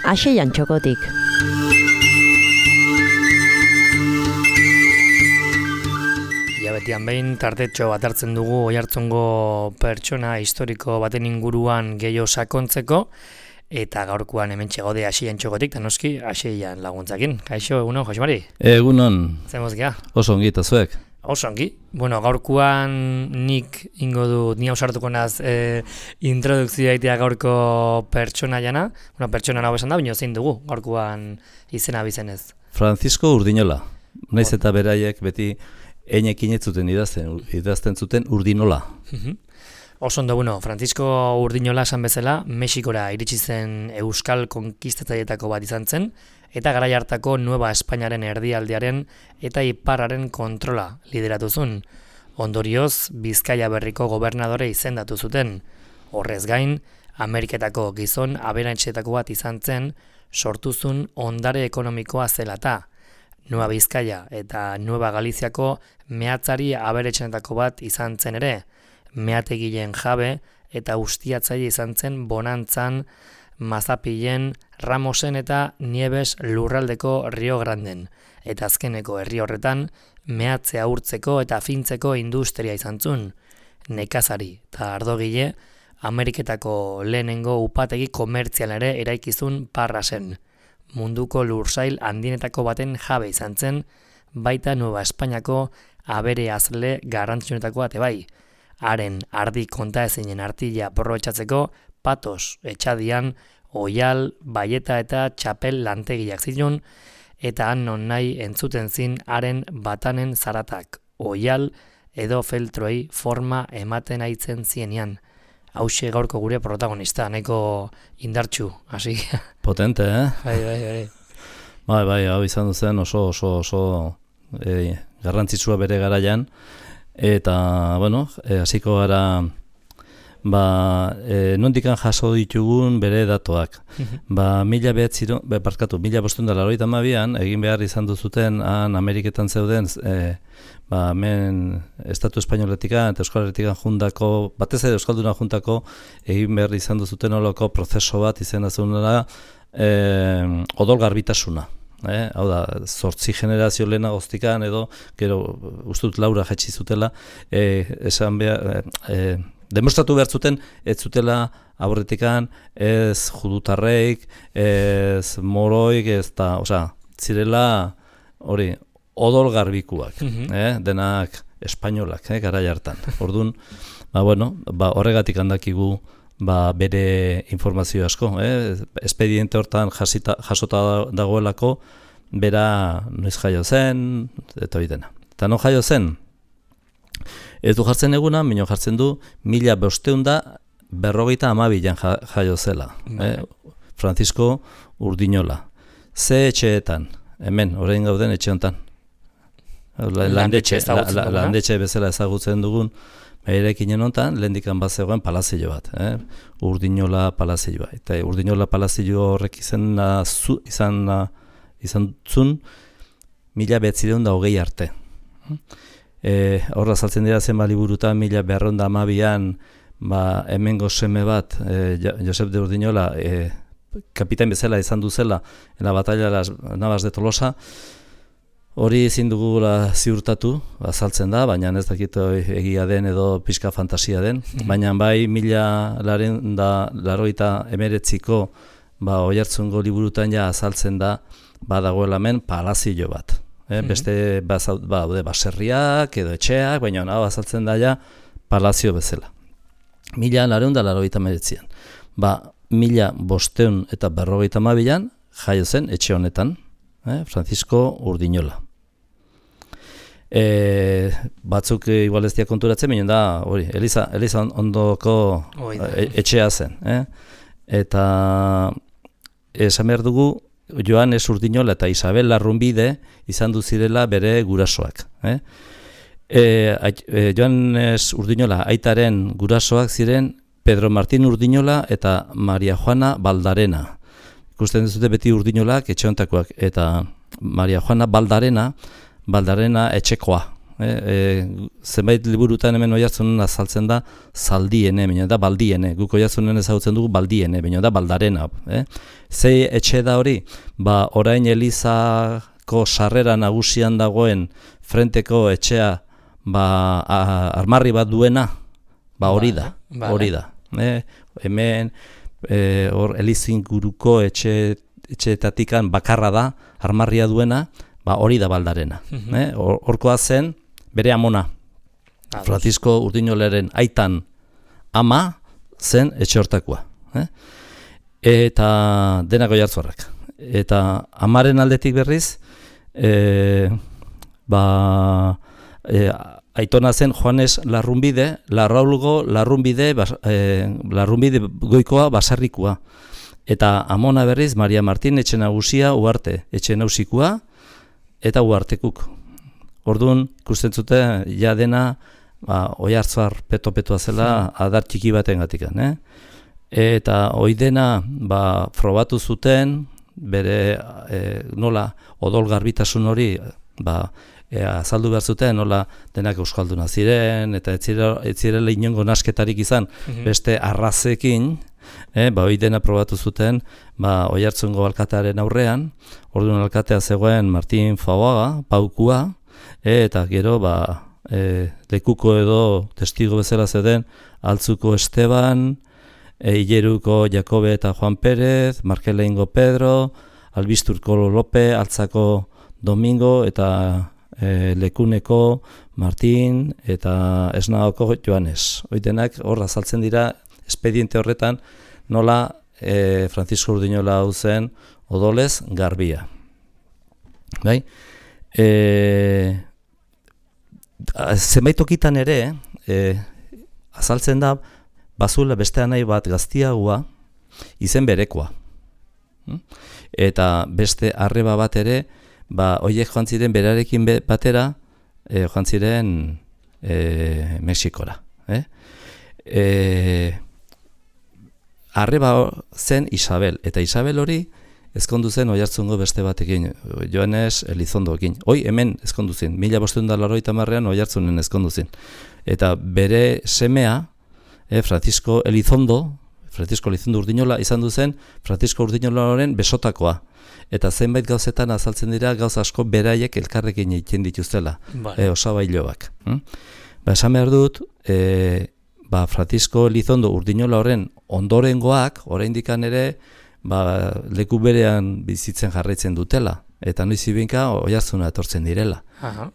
Axeian Txokotik. Betian behin tartetxo bat hartzen dugu Oiartzungo pertsona historiko baten inguruan gehiago sakontzeko, eta gaurkoan hementxe gaude Axeian Txokotik, eta noski Axeian laguntzakin. Kaixo, egunon, Josemari? Egunon. Zemoz gea? Oso ongi, eta zuek? Oso ongi. Bueno, gaurkoan nik ingo du, ni hausartuko naz introdukzioa itea gaurko pertsona jana. Bueno, pertsona nago esan da, baina zein dugu gaurkoan izena bizenez. Francisco Urdinola. Naiz eta beraiek beti einekin ez zuten idazten zuten Urdinola. Oso ondo, bueno, Francisco Urdinola esan bezala, Mexikora iritsi zen euskal konkistatzaileetako bat izan zen, eta garai hartako Nueva Espainiaren erdialdearen eta iparraren kontrola lideratu zuen. Ondorioz, Bizkaia berriko gobernadore izendatu zuten. Horrez gain, Ameriketako gizon aberatsetako bat izan zen, sortuzun ondare ekonomikoa zelata. Nueva Bizkaia eta Nueva Galiziako mehatzari aberatsenetako bat izan zen ere, meategileen jabe eta ustiatzaile izan zen Bonantzan, Mazapilen, Ramosen eta Nieves lurraldeko Rio Granden, eta azkeneko herri horretan mehatzea urtzeko eta fintzeko industria izan zuen. Nekazari eta ardogile, Ameriketako lehenengo upategi komertzial ere eraikizun Parra zen. Munduko lursail handienetako baten jabe izan zen, baita Nueva Espainiako abere azle garrantzionetako bate bai. Haren ardi kontaezinen artila aprobetxatzeko patos etxadian, oial, baieta eta txapel lantegiak zituen, eta han non nahi entzuten zin haren batanen zaratak, oial edo feltroei forma ematen aitzen zienean. Hauxe gaurko gure protagonista, nahiko indartxu, hasi. Potente, Bai. Bai, hau izan zen oso garrantzitsua bere garaian, eta, bueno, hasiko gara, nondikan jaso ditugun bere datoak. 1582an, egin behar izan duzuten, han Ameriketan zeuden, hemen Estatu Espainoletikan eta Euskal Herritikan juntako, batez ere Euskalduna juntako, egin behar izan duzuten olako prozeso bat izena zeunera, odol garbitasuna. Hau da, 8 generazio lehena goztikan edo, gero, ustut Laura jetxi zutela, esan behar, demostratu behar zuten, ez zutela aurretikan, ez judutarreik, ez moroik, ez da, zirela, hori, odol garbikuak, denak espainolak, garai hartan. Orduan, horregatik handakigu bere informazio asko, espediente hortan jasota dagoelako, bera noiz jaio zen, eta hori dena. Eta non jaio zen? Ez du jartzen eguna, minio jartzen du, 1552an jaio zela. Francisco Urdinola. Ze etxeetan, hemen, orain gauden etxe honetan. Landetxe bezala ezagutzen dugun, erekinen honetan, lehendikan bat zegoen palazio bat. Urdinola palazioa. Eta Urdinola palazio horrek izan zuen 1920 arte. Horra saltzen dira zenba liburutan 1212an hemengo seme bat, Josep de Urdinola, kapitain bezala izan duzela en la batalla de las Navas de Tolosa. Hori ezin dugula ziurtatu, azaltzen da, baina ez dakit egia den edo pixka fantasia den, baina bai 1989ko Oiartzungo liburutan ja azaltzen da badagoela hemen palazio bat. Beste baserriak edo etxeak, baina hau azaltzen da ja palazio bezala. 1989an. 1552an jaio zen etxe honetan, Francisco Urdinola. Batzuk igual ez dira konturatzen, baina da, hori, Eliza ondoko etxea zen. Eta esan behar dugu, Joanes Urdinola eta Isabel Larrunbide izan duzirela bere gurasoak. Joanes Urdinola aitaren gurasoak ziren Pedro Martín Urdinola eta Maria Juana Baldarena. Ikusten duzute beti Urdinolak etxe honetakoak, eta Maria Juana Baldarena etxekoa, Zenbait liburutan hemen Oiartzunen azaltzen da Zaldiene, baina da Baldiene. Guk Oiartzunen ezagutzen dugu Baldiene, baina da Baldarena. Ze etxe da hori? Orain Elizako sarrera nagusian dagoen frenteko etxea armarri bat duena, hori da. Hori da. Hemen Elizinguruko etxeetatikan bakarra da, armarria duena, hori da Baldarena. Horkoa zen bere amona. Francisco Urdinolaren aitan ama zen etxe hortakoa. Eta denak Oiartzuarrak. Eta amaren aldetik berriz, aitona zen Joanes Larrunbide, Larrunbide goikoa basarrikua. Eta amona berriz, Maria Martin etxe nagusia Uarte, etxe nausikoa eta Uartekuk. Orduan, ikusten zute, ja dena Oiartzuar peto-petoa zela adar txiki baten gatikan. Eta hoi dena frobatu zuten, bere nola odol garbitasun hori azaldu behar zuten, nola denak euskalduna ziren, eta ez zirela inongo nasketarik izan beste arrazekin, hoi dena probatu zuten Oiartzungo alkatearen aurrean. Orduan alkatea zegoen Martin Fabaga, Paukua, eta gero lekuko edo testigo bezala zeuden Altzuko Esteban, Ileruko Jakobe eta Juan Pérez, Markeleingo Pedro, Albisturko Lope, Altzako Domingo, eta Lekuneko Martin, eta Esnagoko Joanes. Hoi denak hor azaltzen dira espediente horretan nola Francisco Urdinola hau zen odolez garbia. Bai? Zenbait tokitan ere azaltzen da bazuela beste anai bat gaztiagoa izen berekoa. Eta beste arreba bat ere, horiek joan ziren berarekin batera joan ziren Mexikora. Arreba zen Isabel, eta Isabel hori ezkondu zen Oiartzungo beste batekin, Joanes Elizondoekin. Hoi hemen ezkondu zen, 1580an Oiartzunen ezkondu zen. Eta bere semea, Francisco Elizondo Urdinola izan du zen Francisco Urdinolaren besotakoa. Eta zenbait gauzetan azaltzen dira gauz asko beraiek elkarrekin egiten dituztela, osabailoak. Esan behar dut, Francisco Elizondo Urdinola horren ondorengoak, oraindikan ere, leku berean bizitzen jarraitzen dutela. Eta noiz ibinka Oiartzuna etortzen direla.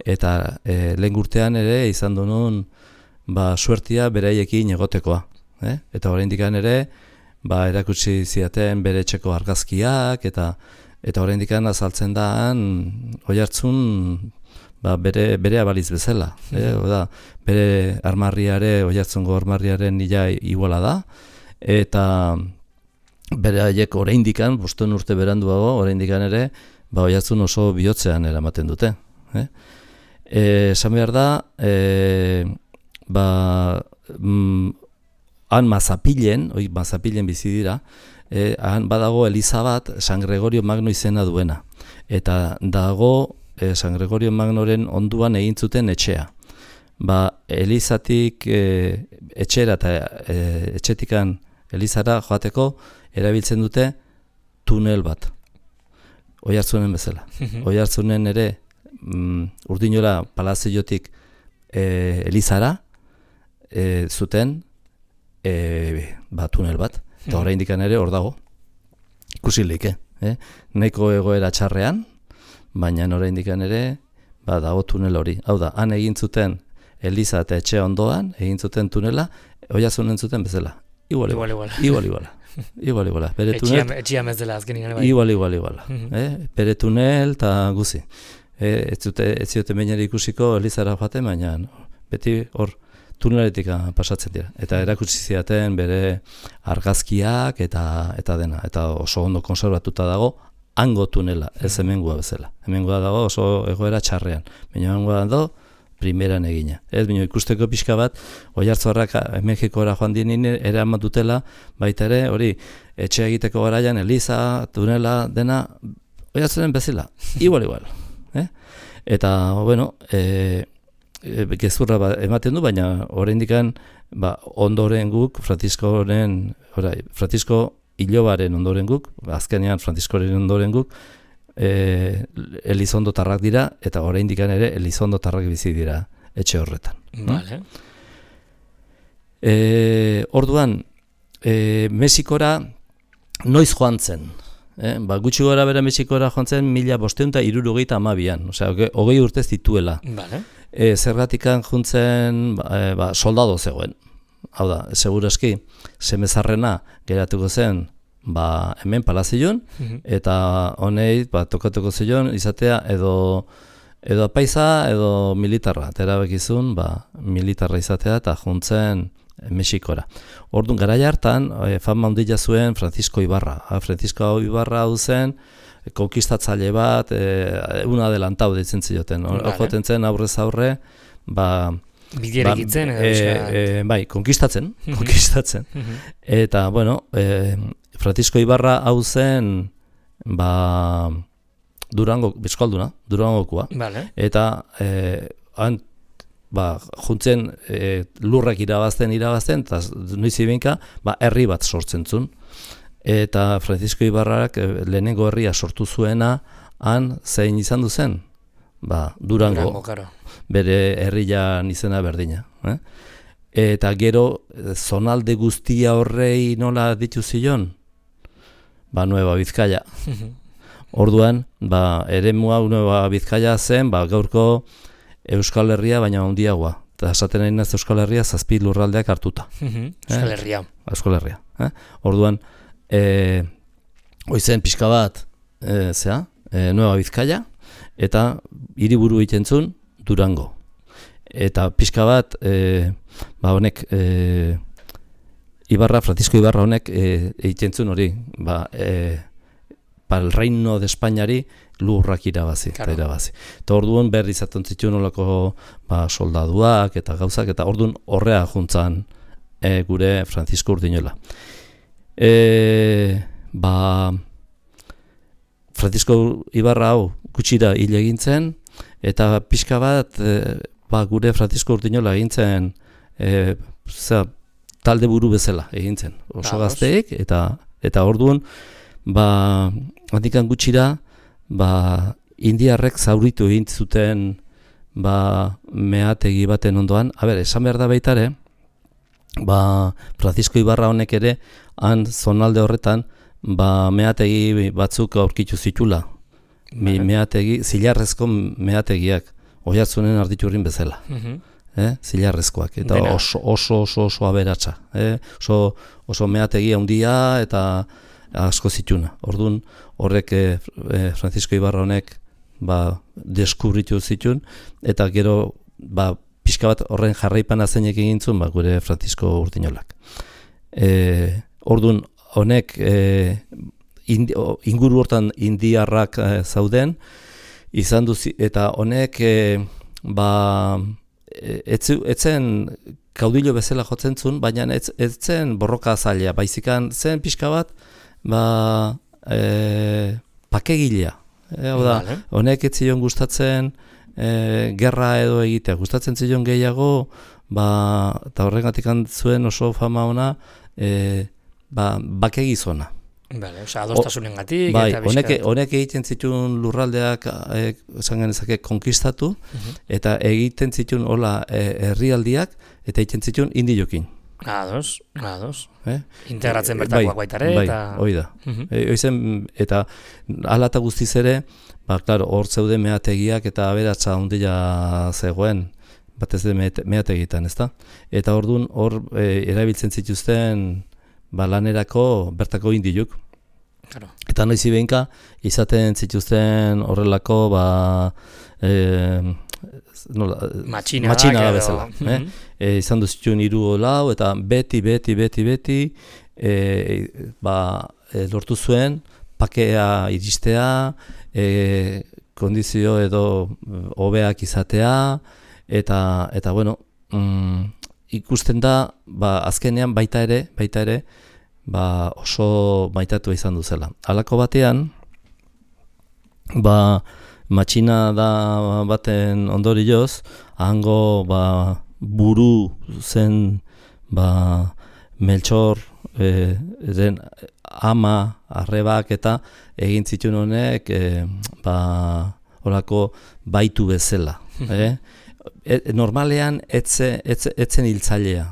Eta lehen urtean ere izan duen suertia beraiekin egotekoa. Eta oraindikan ere, erakutsi ziaten bere etxeko argazkiak, eta oraindikan azaltzen daan Oiartzun bere abaliz bezala. Bere armarriare, Oiartzungo armarriaren nila iguala da, eta bere haiek oraindikan, 5 urte beranduago, oraindikan ere, Oiartzun oso bihotzean eramaten dute. Esan behar da, han Mazapilen bizi dira, han badago eliza bat San Gregorio Magno izena duena. Eta dago San Gregorio Magnoren onduan egin zuten etxea. Elizatik etxera eta etxetikan elizara joateko erabiltzen dute tunel bat. Oiartzunen bezala. Oiartzunen ere Urdinola palaziotik elizara zuten tunel bat. Eta oraindikan ere hor dago. Ikusilik, nahiko egoera txarrean, baina oraindikan ere dago tunel hori. Hau da, han egin zuten eliza eta etxe ondoan, egin zuten tunela, Oiartzunen zuten bezala. Igual. Etxia mezdela azkenin. Igual. Bere tunel eta guzi. Ez zioten bainari ikusiko elizara joaten, baina beti hor tuneletik pasatzen dira. Eta erakutsi ziaten bere argazkiak eta dena. Eta oso ondo konserbatuta dago hango tunela, ez hemengua bezala. Hemengua dago oso egoera txarrean. Baina hemengua dago primeran egina. Ez bino ikusteko pixka bat, Oiartzuarrak Mexikora joan dinin eraman dutela, baita ere, hori, etxe egiteko garaian, eliza, tunela, dena, Oiartzunen bezala, igual. Eta, bueno, gezurra ematen du, baina oraindikan ondoren guk, Francisco ilobaren ondoren guk, azkenean Franciscoren ondoren guk, Elizondotarrak dira, eta oraindikan ere Elizondotarrak bizi dira etxe horretan. Vale. Orduan, Mexikora noiz joan zen? Gutxi gora bera Mexikora joan zen 1572an, osea, 20 urte zituela. Vale. Zergatikan juntzen soldado zegoen. Hau da, seguraski, semezarrena geratuko zen hemen Palazion, eta honei tokatuko zion izatea edo apaisa edo militarra. Erabakizun militarra izatea eta juntzen Mexikora. Orduan, garai hartan, fama handia zuen Francisco Ibarra. Francisco Ibarra hau zen, konkistatzaile bat, un adelantau ditzen zioten. Joten zen aurrez aurre, biderekitzen konkistatzen. Eta, bueno, Francisco Ibarra hau zen, Bizkalduna, Durangokoa. Vale. Eta, juntzen lurrak irabazten, eta noiz ibinka, herri bat sortzen zuen. Eta Francisco Ibarrak lehenengo herria sortu zuena, han zein izan du zen? Durango, claro. Bere herrian izena berdina. Eta gero, zonalde guztia horrei nola ditu zion? Nueva Bizkaia. Orduan, eremua Nueva Bizkaia zen, gaurko Euskal Herria, baina handiagoa. Eta esaten nahi naz Euskal Herria 7 lurraldeak hartuta. Euskal Herria. Euskal Herria. Orduan, oizen pixka bat, Nueva Bizkaia, eta hiriburu egiten zuen Durango. Eta pixka bat, honek, Francisco Ibarra honek egiten zuen hori, el Reino de Espainiari lurrak irabazi. Eta orduan berri izaten zituen olako soldaduak eta gauzak, eta orduan horrea juntzan gure Francisco Urdinola. Francisco Ibarra hau gutxira hil egin zen, eta pixka bat gure Francisco Urdinola egin zen talde buru bezala egin zen. Oso gazteek, eta orduan handikan gutxira indiarrek zauritu egin zuten meategi baten ondoan. Esan behar da baitare, Francisco Ibarra honek ere han zonalde horretan meategi batzuk aurkitu zitula. Zilarrezko meategiak, Oiartzunen Arditurrin bezala. Zilarrezkoak, eta oso aberatsa. Oso meategi handia eta asko zituna. Orduan, horrek Francisco Ibarra honek deskubritu zitun, eta gero pixka bat horren jarraipana zeinek egin zuen gure Francisco Urdinolak. Orduan, honek inguru hortan indiarrak zauden, izan duzi, eta honek etzen kaudillo bezala jotzen zuen, baina etzen borroka zaila, baizikan zen pixka bat, pakegilea. Honek ez zion gustatzen gerra edo egitea, gustatzen zion gehiago, eta horregatik zuen oso fama ona, bakegizona. Adostasunengatik. Honek egiten zituen lurraldeak, esan genezake, konkistatu, eta egiten zituen herrialdiak, eta egiten zituen indiokin. Ados. Integratzen bertakoak baitare. Hoi da. Eta hala eta guztiz ere, hor zeude meategiak eta aberatsa handia zegoen, batez de meategitan, ezta? Eta orduan hor erabiltzen zituzten lanerako bertako indiok. Eta noiz ibenka izaten zituzten horrelako matxina da bezala. Izan duzituen 3 lau, eta beti lortu zuen pakea iristea, kondizio edo hobeak izatea, eta bueno, ikusten da, azkenean baita ere, oso maitatua izan duzela. Halako batean, matxina da baten ondorioz, hango buru zen Meltxor eren ama, arrebak eta egin zituen honek horako baitu bezala. Normalean etzen hiltzailea,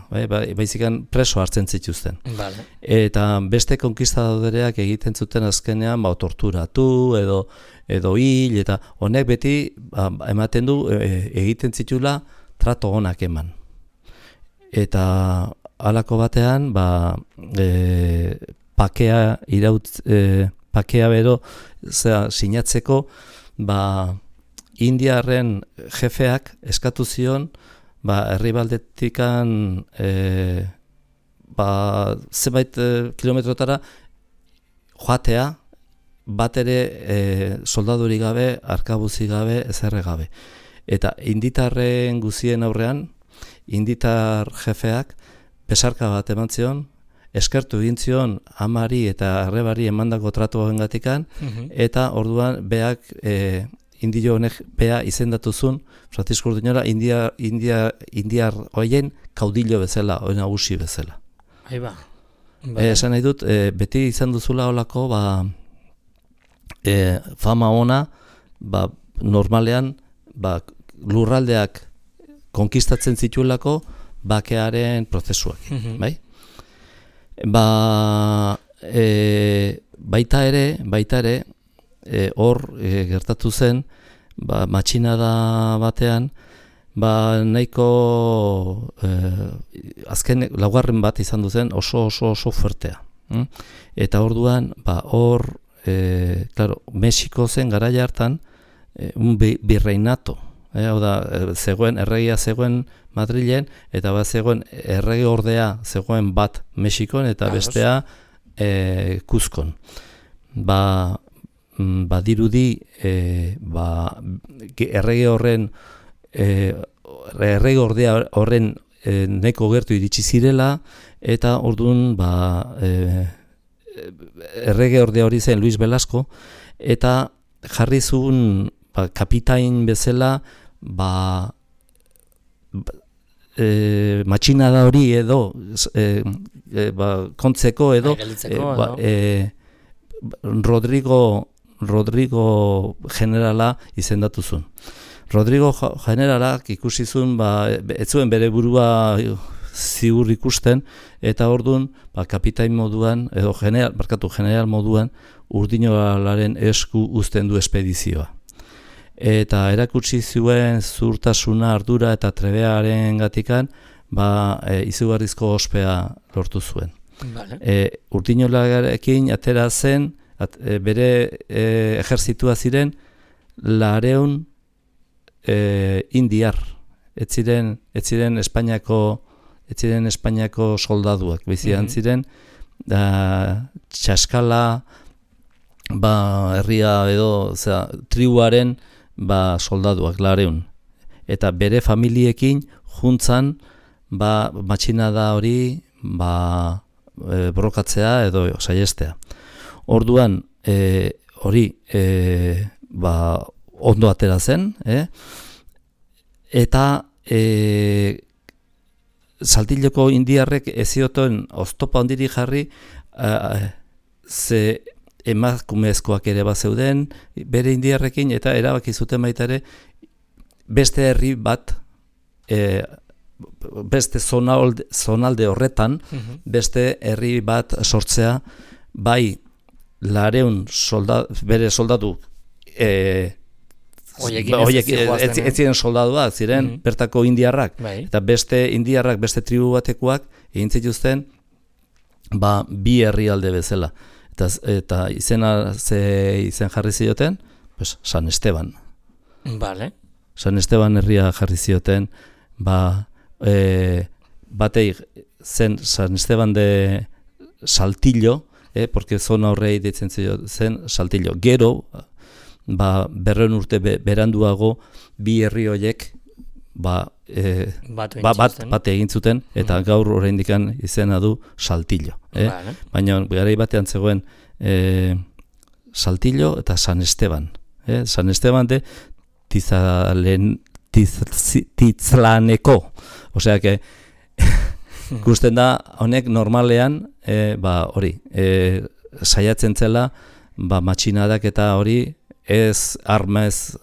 baizikan preso hartzen zituzten. Vale. Eta beste konkistadoreak egiten zuten azkenean torturatu edo hil, eta honek beti ematen du egiten zitula trato onak eman. Eta halako batean pakea bero sinatzeko Indiarren jefeak eskatu zion herribaldetikan zenbait kilometrotara joatea, bat ere soldadurik gabe, arkabuzi gabe, ezerre gabe. Eta inditarren guzien aurrean, inditar jefeak besarka bat eman zion, eskertu egin zion amari eta arrebari emandako tratuagengatikan, eta orduan beak indio honek bea izendatuzun, Francisco Urdinola, indiar hoien kaudillo bezala, hori nagusi bezala. Aiba. Esan nahi dut, beti izan duzula holako, fama ona, normalean, lurraldeak konkistatzen zituelako, bakearen prozesuak, bai? Baita ere, hor gertatu zen, matxinada batean, nahiko azken laugarren bat izan duzen oso fuertea. Eta orduan, hor, Mexiko zen garaia hartan, un birreinato. Erregia zegoen Madrilen, eta zegoen errege ordea zegoen bat Mexikon, eta bestea Kuzkon. Badirudi errege ordea horren nahiko gertu iritsi zirela, eta orduan errege ordea hori zen Luis Velasco, eta jarri zuen kapitain bezala matxinada hori edo kontzeko edo Rodrigo generala izendatu zuen. Rodrigo generalak ikusi zuen, ez zuen bere burua ziur ikusten, eta orduan kapitain moduan, edo general moduan, Urdinolaren esku uzten du espedizioa. Eta erakutsi zuen zuhurtasuna, ardura eta trebearen gatikan, izugarrizko ospea lortu zuen. Urdinolarekin atera zen, bere ejertzitua ziren 200 indiar, ez ziren Espainiako soldaduak, bizian ziren txaskala, herria edo tribuaren soldaduak 200. Eta bere familiekin juntzan matxinada hori borrokatzea edo saiestea. Orduan, hori ondo atera zen, eta Saltilloko indiarrek ezioten oztopa ondiri jarri, ze emakumezkoak ere bazeuden bere indiarrekin, eta erabaki zuten baita ere beste herri bat, beste zonalde horretan, beste herri bat sortzea, bai 200 bere soldatu horiek ez ziren soldaduak, ziren bertako indiarrak, eta beste indiarrak, beste tribu batekoak egin zituzten bi herrialde bezala. Eta izen jarri zioten, San Esteban. San Esteban herria jarri zioten, batei zen San Esteban de Saltillo, porque zona horrei ditzen zen Saltillo. Gero, 200 urte beranduago, bi herri horiek bat egin zuten, eta gaur oraindikan izena du Saltillo. Baina garai batean zegoen Saltillo eta San Esteban. San Esteban de Tizlaneko. Osea, que ikusten da, honek normalean, hori, saiatzen zela, matxinadak eta hori, ez armez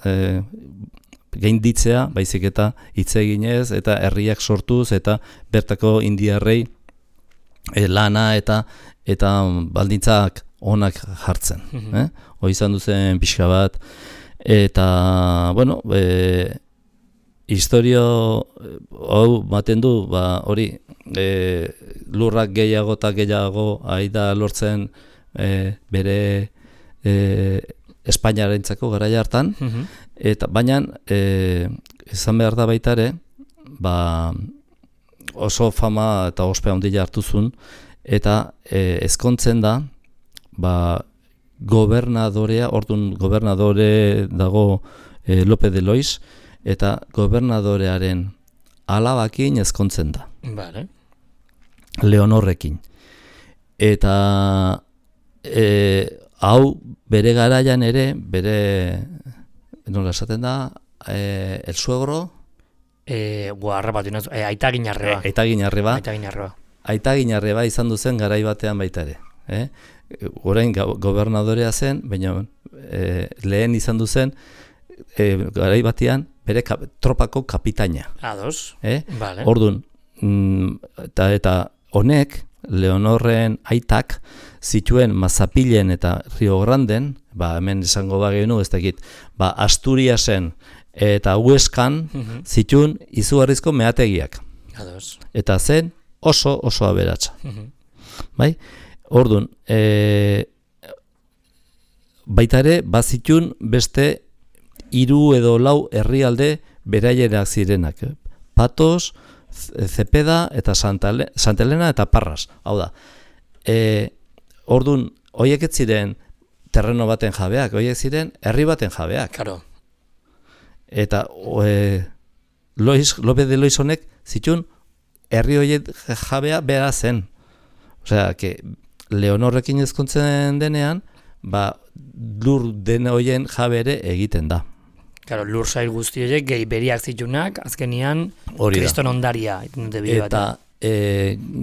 gainditzea, baizik eta hitz eginez, eta herriak sortuz, eta bertako indiarrei lana eta baldintzak onak jartzen. Hoi izan duzen pixka bat, eta, bueno, historio hau baten du, hori, lurrak gehiago eta gehiago aida lortzen bere Espainiarentzako garaia hartan, eta baina izan behar da baita ere, oso fama eta ospea handia hartu zuen, eta ezkontzen da, gobernadorea, orduan gobernadore dago Lope de Lois, eta gobernadorearen alabakin ezkontzen da. Vale. Leonorrekin. Eta hau bere garaian ere, nola esaten da, el suegro, Aitaginarreba. Aitaginarreba izan duzen garai batean baita ere. Orain gobernadorea zen, baina lehen izan duzen garai batean bere tropako kapitaina. Ados, vale. Orduan, eta honek, Leonorren aitak, zituen Mazapilen eta Rio Granden, hemen esango bagenu, ez dakit, Asturiasen eta Hueskan zituen izugarrizko meategiak. Ados. Eta zen oso aberatsa. Bai? Orduan, baita ere, bazitun beste 3 edo 4 herrialde beraierak zirenak. Patos, Zepeda eta Santa Elena eta Parras. Hau da, orduan, horiek ez ziren terreno baten jabeak, horiek ziren herri baten jabeak. Claro. Eta Lope de Lois honek zituen herri horiek jabea bera zen. Osea, que Leonorrekin ezkontzen denean, lur den horien jabere egiten da. Claro, lur sail guzti horiek gehi beriak zitunak, azkenian kriston ondaria. Eta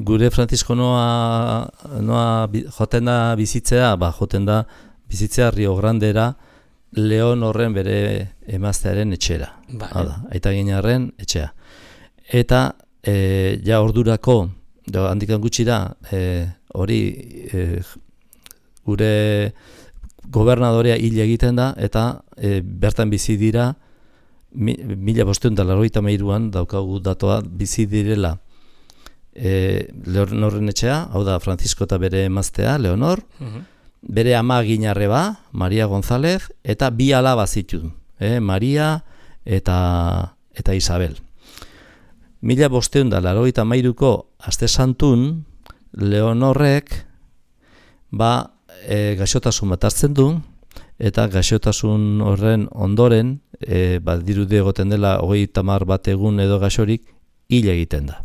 gure Francisco noa joten da bizitzea, bizitzea Rio Grandera, Leonorren bere emaztearen etxera. Aitaginarren etxea. Eta ja ordurako, handikan gutxira, hori gure gobernadorea hil egiten da, eta bertan bizi dira, 1583an daukagu datoa bizi direla Leonorren etxea, hau da Francisco eta bere emaztea, Leonor, bere ama Ginarreba, Maria González, eta 2 alaba zituen, Maria eta Isabel. 1583ko aste santun, Leonorrek gaixotasun bat hartzen du, eta gaixotasun horren ondoren, dirudi egoten dela 30 bat egun edo gaixorik, hil egiten da.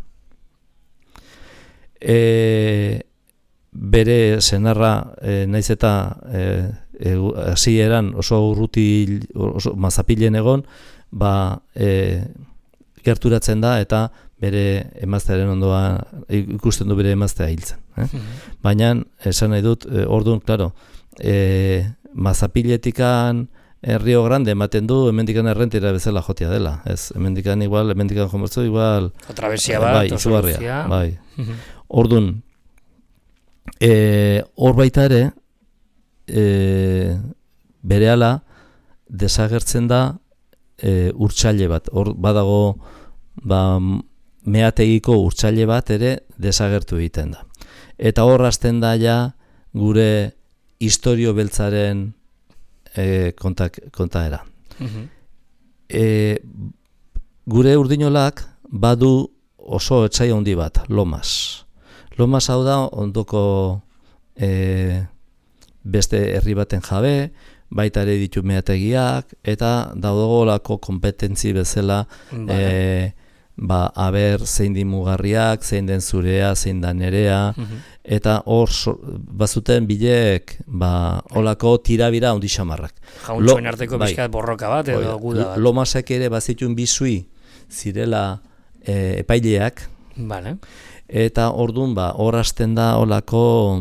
Bere senarra, naiz eta hasieran oso urruti, oso Mazapilen egon, gerturatzen da, eta bere emaztearen ondoa, ikusten du bere emaztea hiltzen. Baina, esan nahi dut, orduan, klaro, Mazapiletikan Rio Grande ematen du, hemendikan errentera bezala jotia dela. Ez, hemendikan jomertzu, igual... Traversia bat, izugarria. Orduan, hor baita ere, berehala desagertzen da urtsaile bat. Hor badago meategiko urtsaile bat ere desagertu egiten da. Eta hor hasten da ja gure historio beltzaren kontaera. Gure urdinolak badu oso etsai handi bat, Lomas. Lomas hau da ondoko beste herri baten jabe, baita ere ditu meategiak, eta daudogolako kompetentzi bezala aber zein di mugarriak, zein den zurea, zein da nerea, eta hor bazuten bileek olako tirabira handi xamarrak. Jauntxoen arteko bizkat borroka bat edo guda bat. Lomasek ere bazituen bizui zirela epaileak, Vale. eta orduan hor hasten da olako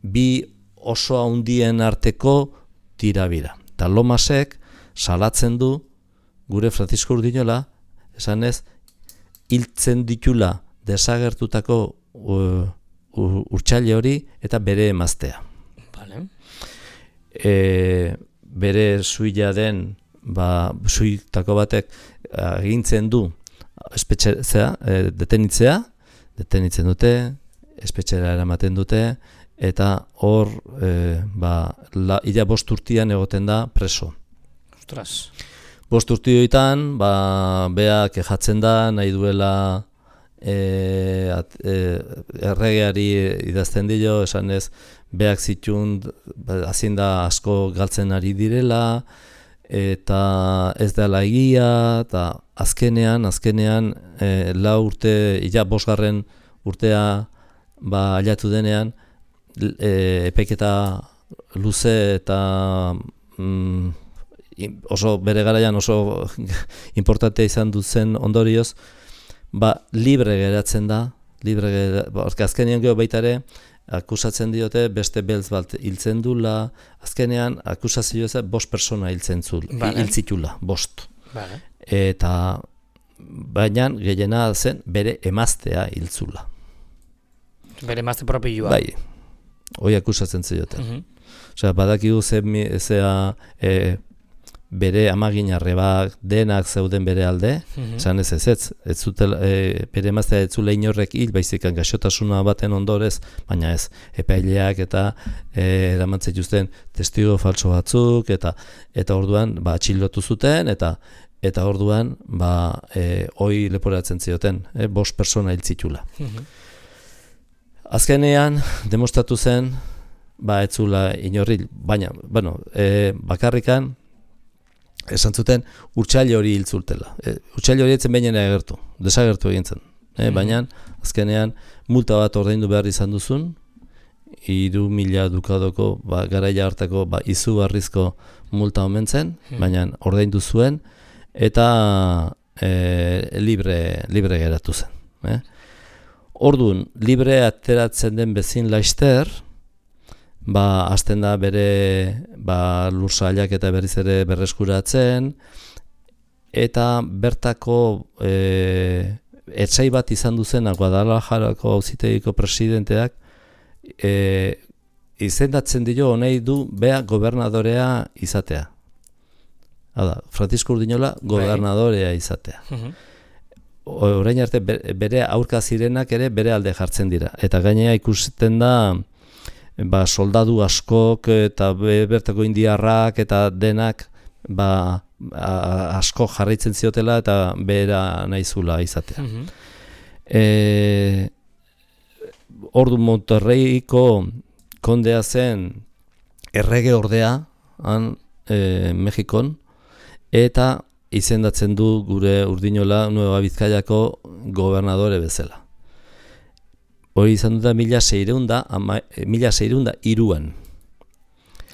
bi oso handien arteko tirabira. Eta Lomasek salatzen du gure Francisco Urdinola, esanez, hiltzen ditula desagertutako urtsaile hori eta bere emaztea. Vale. Bere suila den, suitako batek agintzen du detenitzen dute, espetxera eramaten dute, eta hor ila 5 urtean egoten da preso. Ostras. 5 urteoetan, bea kejatzen da, nahi duela erregeari idazten dio, esanez, beak zitun, hazin da asko galtzen ari direla, eta ez dela egia, eta azkenean, ila 5. urtea ailatu denean, epaiketa luze eta oso bere garaian oso importantea izan duzen ondorioz, libre geratzen da, azkenean gero baita ere, akusatzen diote beste beltz bat hiltzen dula, azkenean akusazio ez 5 persona hiltzitula, 5. Vale. Eta baina gehiena zen bere emaztea hiltzula. Bere emazte propioa. Bai, hoi akusatzen zioten. Osea, badakigu zea bere amaginarrebak denak zeuden bere alde, esan ez zutela, bere emaztea ez zula inorrek hil, baizikan gaixotasuna baten ondorez, baina ez, epaileak eta eramantzen juzten testigo falso batzuk, eta orduan atxilotu zuten, eta orduan hoi leporatzen zioten, 5 persona hil zitula. Azkenean, demostratu zen, ez zula inorri, baina, bakarrikan, esan zuten, urtsaile hori hil zultela. Urtsaile hori etzen behinena desagertu egin zen. Baina, azkenean, multa bat ordaindu behar izan duzun, 3.000 dukadoko, garaia hartako izugarrizko multa omen zen, baina ordaindu zuen, eta libre geratu zen. Orduan, libre ateratzen den bezin laister, hasten da bere lursailak eta berriz ere berreskuratzen, eta bertako etsai bat izan duzena Guadalajarako auzitegiko presidenteak izendatzen dio honei du bea gobernadorea izatea. Hala, Francisco Urdinola gobernadorea izatea. Orain arte bere aurka zirenak ere bere alde jartzen dira. Eta gainera ikusten da soldadu askok eta bertako indiarrak eta denak asko jarraitzen ziotela eta bera nahizula izatea. Ordu Monterreiko kondea zen errege ordea Mexikon, eta izendatzen du gure Urdinola Nueva Bizkaiako gobernadore bezala. Hori izan dut da 1603an.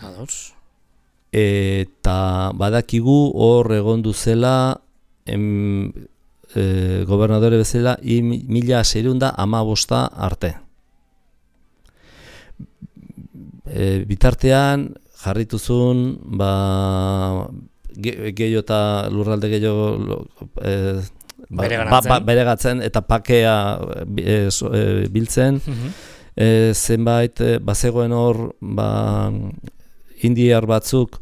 Ados. Eta badakigu hor egon duzela gobernadore bezala 1615 arte. Bitartean jarrituzun gehiago eta lurralde gehiago beregatzen eta pakea biltzen. Zenbait bazegoen hor indiar batzuk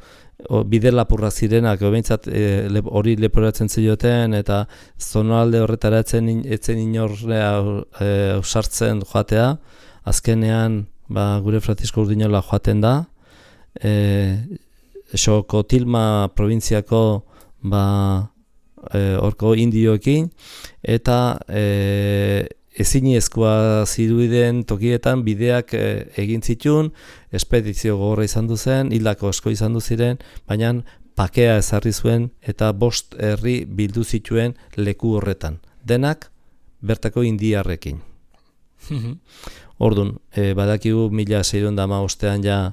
bide lapurra zirenak hori leporatzen zioten, eta zonalde horretara etzen inorrea sartzen joatea. Azkenean gure Francisco Urdinola joaten da, Xokotilma probintziako horko indioekin, eta eziniezkoa zirudien tokietan bideak egin zituen, espedizio gogorra izan du zen, hildako asko izan du ziren, baina pakea ezarri zuen eta 5 herri bildu zituen leku horretan. Denak bertako indiarrekin. Orduan, badakigu 1615ean ja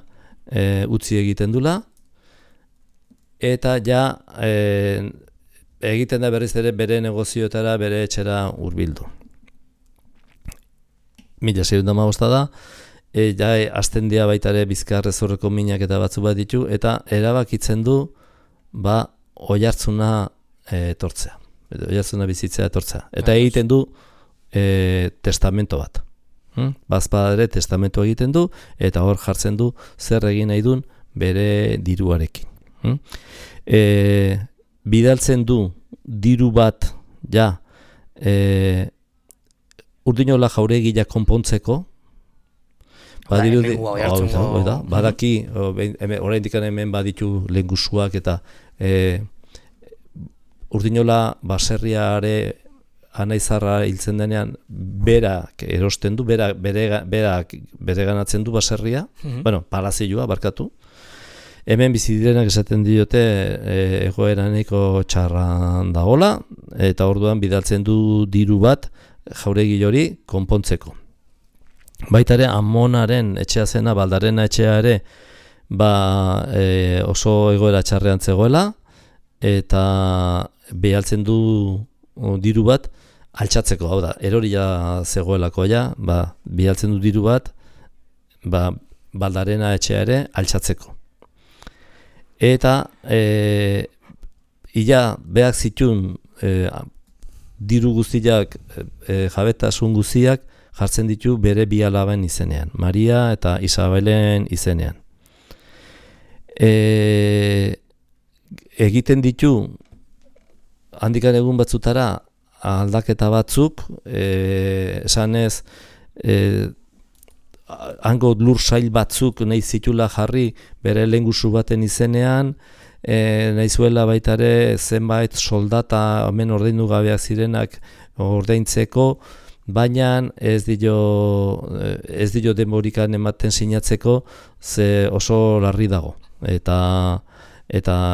utzi egiten dula, eta ja egiten da berriz ere bere negozioetara, bere etxera hurbildu. 1615 da, ja hasten dira baita ere Bizkar-Rezorreko minak eta batzu bat ditu, eta erabakitzen du Oiartzuna etortzea, Oiartzuna bizitzea etortzea. Eta egiten du testamento bat. Bazpada ere testamento egiten du, eta hor jartzen du zer egin nahi duen bere diruarekin. Bidaltzen du diru bat ja Urdinola jauregia konpontzeko, badaki, oraindik hemen baditu lehengusuak eta Urdinola baserriare anaizarra hiltzen denean berak erosten du, berak ganatzen du baserria, palazioa barkatu. Hemen bizi direnak esaten diote egoera nahiko txarran dagoela, eta orduan bidaltzen du diru bat jauregi hori konpontzeko. Baita ere Amonaren etxea zena, Baldarena etxea ere oso egoera txarrean zegoela, eta behaltzen du diru bat altxatzeko, hau da, eroria zegoelako ja, behaltzen du diru bat Baldarena etxea ere altxatzeko. Eta ia behak zituen diru guztiak, jabetasun guztiak jartzen ditu bere bi alaben izenean, Maria eta Isabelen izenean. Egiten ditu handikan egun batzutara aldaketa batzuk, esanez hango lur sail batzuk nahi zitula jarri bere lehengusu baten izenean, nahi zuela baita ere zenbait soldata hemen ordaindu gabeak zirenak ordaintzeko, baina ez dio denborikan ematen sinatzeko, ze oso larri dago, eta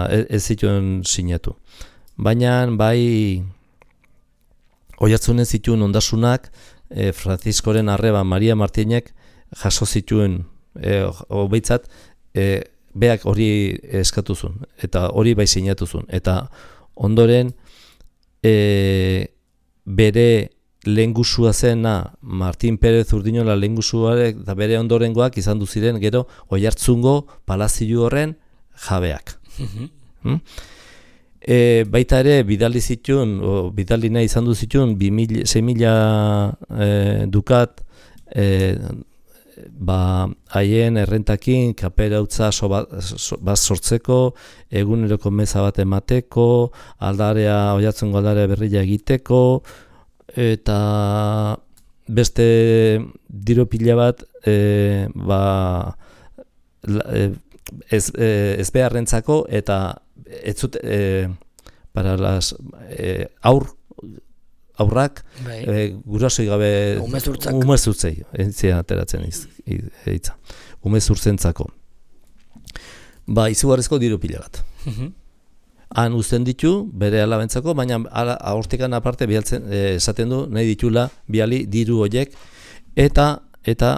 ez zituen sinatu. Baina bai Oiartzunen zituen ondasunak Franziskoren arreba Maria Martinek jaso zituen, behintzat, beak hori eskatu zuen, eta hori bai sinatu zuen. Eta ondoren bere lehengusua zena Martin Perez Urdinola lehengusuarek eta bere ondorengoak izan du ziren gero Oiartzungo palazio horren jabeak. Baita ere bidali nahi izan du zituen 6.000 dukat haien errentakin kaperautza bat sortzeko, eguneroko meza bat emateko, Oiartzungo aldarea berria egiteko, eta beste diru pila bat ez beharrentzako, eta ez zut para las aurrak gurasoi gabe umezurtzei entzia ateratzen hitza. Umezurtzentzako. Izugarrizko diru pila bat. Han uzten ditu bere alabentzako, baina hortikan aparte esaten du nahi ditula biali diru horiek, eta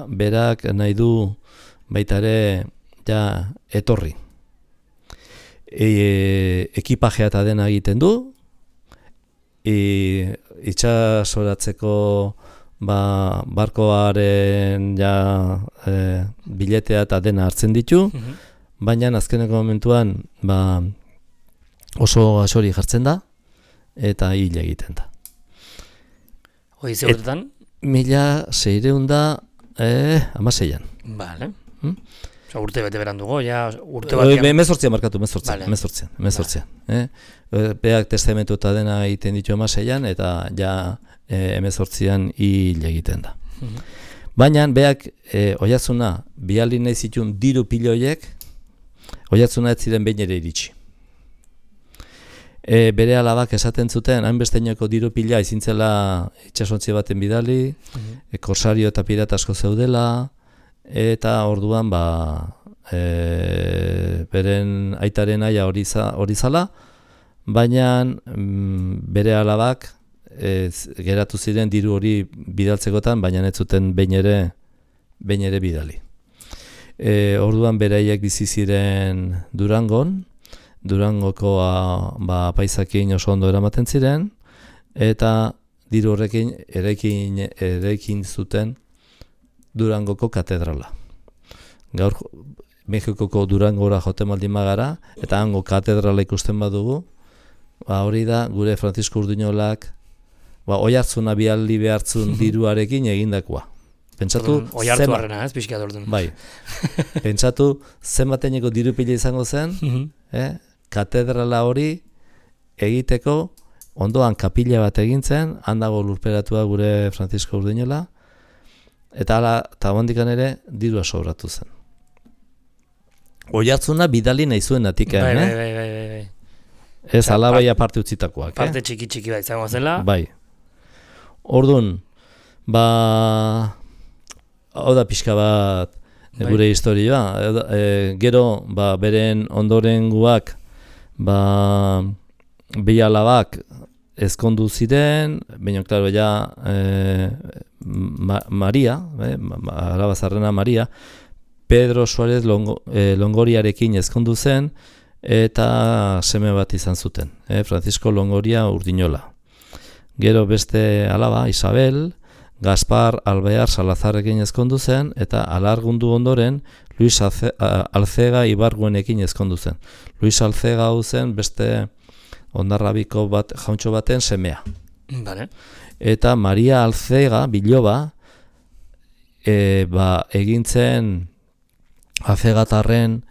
berak nahi du baita ere ja etorri. Ekipajea eta dena egiten du, itxasoratzeko barkoaren biletea eta dena hartzen ditu, baina azkeneko momentuan oso gasori jartzen da eta hil egiten da. Hoi ze urtetan? 1616an. Bale. Urte bete berandugo, urte batean. 18 markatu, 18. Beak testamentu eta dena egiten ditu 16an, eta 18an hil egiten da. Baina beak Oiartzuna bihali nahi zituen diru piloiek, Oiartzuna ez ziren behin ere iritsi. Bere alabak esaten zuten, hainbesteinoko diru pila izintzela itxasontzi baten bidali, korsario eta pirata asko zeudela, eta orduan beren aitaren aia hori zala, baina bere alabak geratu ziren diru hori bidaltzekotan, baina ez zuten behin ere bidali. Orduan beraiek bizi ziren Durangoko paisakin oso ondo eramaten ziren, eta diru horrekin eraikin zuten Durangoko katedrala. Gaur Mexikoko Durangora joten baldin bagara, eta hango katedrala ikusten badugu, hori da gure Francisco Urdiñolak oihartzuna bialdi behartzun diruarekin egindakoa. Pentsatu oihartzuarrena, ez pixka dordun. Bai. Pentsatu zenbateneko diru pila izango zen, katedrala hori egiteko ondoan kapila bat egintzen, handago lurperatua gure Francisco Urdiñola, eta hondikan ere dirua sobratu zen. Oihartzuna bidali nahi zuen atiken, Bai. Ez alabai aparte utzitakoak. Parte txiki bat izango zela. Bai. Orduan, hau da pixka bat gure historioa. Gero, beren ondorengoak, bi alabak ezkondu ziren, baina, klaro, Maria, alaba zarrena Maria, Pedro Suárez Longoriarekin ezkondu zen, eta seme bat izan zuten, Francisco Longoria Urdiñola. Gero beste alaba, Isabel, Gaspar Alvear Salazarrekin ezkondu zen, eta alargundu ondoren Luis Alcega Ibarguenekin ezkondu zen. Luis Alcega hau zen beste ondarrabiko jauntxo baten semea. Vale. Eta Maria Alcega Biloba egintzen Alcegatarren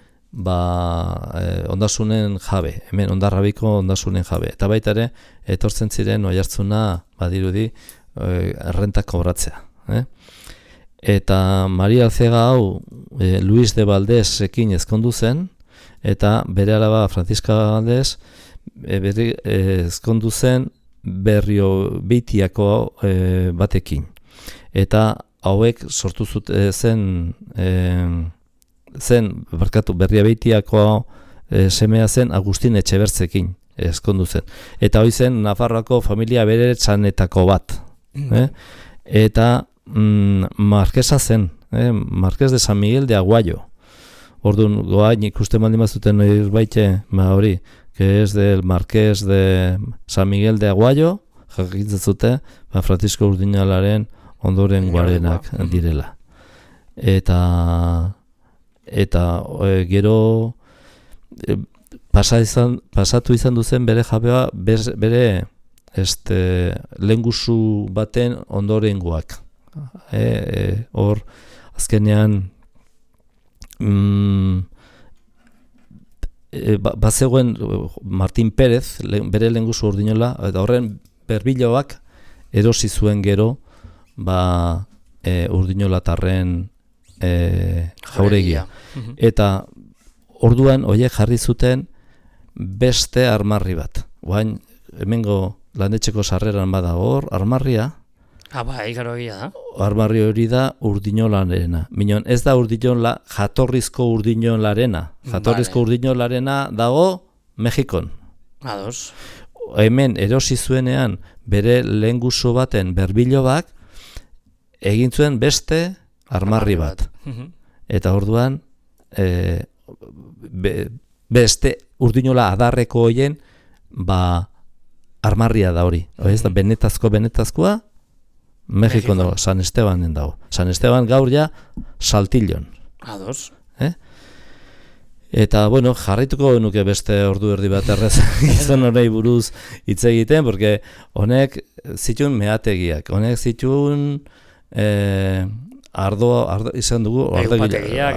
ondasunen jabe, hemen ondarrabiko ondasunen jabe. Eta baita ere, etortzen ziren oihartzuna badirudi errenta kobratzea. Eta Maria Alcega hau Luis de Valdés-ekin ezkondu zen, eta bere alaba Francisca Valdés ezkondu zen Berriobeitiako batekin. Eta hauek sortu Berriobeitiako semea zen Agustin Etxebertzekin ezkondu zen. Eta hori zen Nafarroako familia beretsanetako bat. Eta markesa zen, Marqués de San Miguel de Aguayo. Orduan, goain ikusten baldin bazuten baite, hori, que es del Marqués de San Miguel de Aguayo, jakitzezute, Francisco Urdiñolaren ondoren guarenak direla. Eta gero pasatu izan duzen bere jabea, bere lehengusu baten ondorengoak. Hor, azkenean, bazegoen Martín Pérez, bere lehengusu Urdiñola, eta horren berbiloak erosi zuen gero Urdiñolatarren jauregia. Eta orduan horiek jarri zuten beste armarri bat. Oain, hemengo landetxeko sarreran bada hor, armarria. Ikaro egia da. Armarri hori da Urdiñolarena. Minon, ez da jatorrizko Urdiñolarena. Jatorrizko Urdiñolarena dago Mexikon. Ados. Hemen erosi zuenean bere lehengusu baten berbilobak egin zuen beste armarri bat. Eta orduan beste Urdiñola adarreko hoien armarria da hori. Ez da benetazkoa Mexikon dago, San Estebanen dago. San Esteban gaur ja Saltillon. Ados. Eta, bueno, jarraituko nuke beste ordu erdi bat errez gizon honei buruz hitz egiten, porque honek zituen meategiak, honek zituen ardo izan dugu upategiak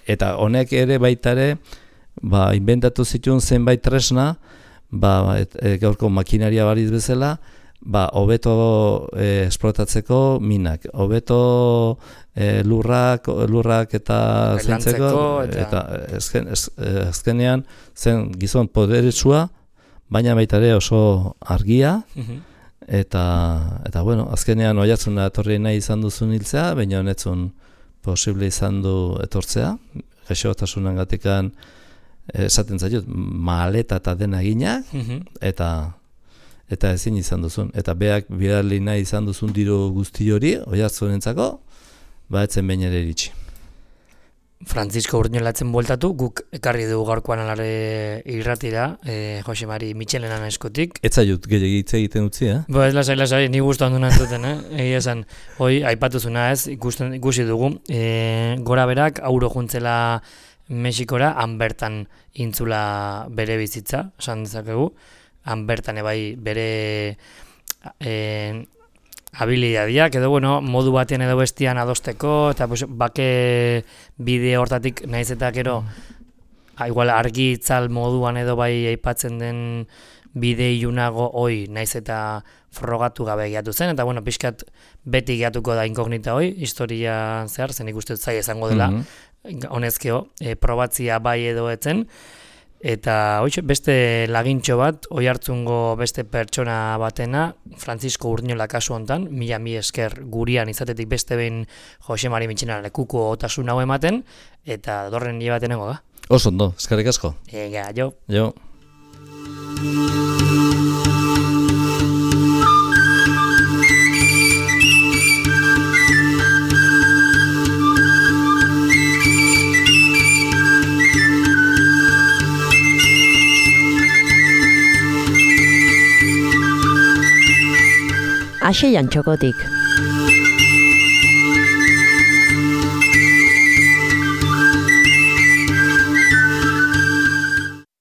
eta honek ere baita ere inventatu zituen zenbait tresna gaurko makinaria bariz bezala hobeto esplotatzeko minak, hobeto lurrak eta zentzeko eta azkenean zen gizon poderetsua, baina baita ere oso argia. Eta bueno, azkenean oihartzuna etorri nahi izan duzun hiltzea, baina honetzun posible izan du etortzea, gaixotasunengatikan esaten zaiot, maleta eta dena egina, eta ezin izan duzun. Eta beak bidali nahi izan duzun diru guzti hori, Oiartzunentzako, etzen behin ere iritsi. Francisco Urdiñolatzen bueltatu, guk ekarri dugu gaurkoan alare irratira, Jose Mari Mitxelenan eskutik. Ez zaiut gehiagitze egiten utzi, Ez lasai, ni gustu handu nantzuten, egia esan, hoi, aipatuzuna ez, ikusi dugu, gora berak, auro juntzela Mexikora, han bertan intzula bere bizitza, esan dezakegu, han bertan ebai bere habilidadiak, edo modu batean edo bestian adosteko, eta bake bide hortatik naiz eta gero, igual argi itzal moduan edo bai aipatzen den bide ilunago hoi naiz eta frogatu gabe gehiatu zen, eta pixkat beti gehatuko da inkognita hoi, historia zehar, zen ikusten zai izango dela, honezkeo, probatzia bai edo etzen, eta beste lagintxo bat, Oiartzungo beste pertsona batena, Francisco Urdiñola kasu hontan, mila esker gurian izatetik beste behin Jose Mari Mitxelenan lekuko otasun hau ematen, eta dorren nire batenengo da. Oso ondo, eskerrik asko. Jo. Jo. Axeian txokotik.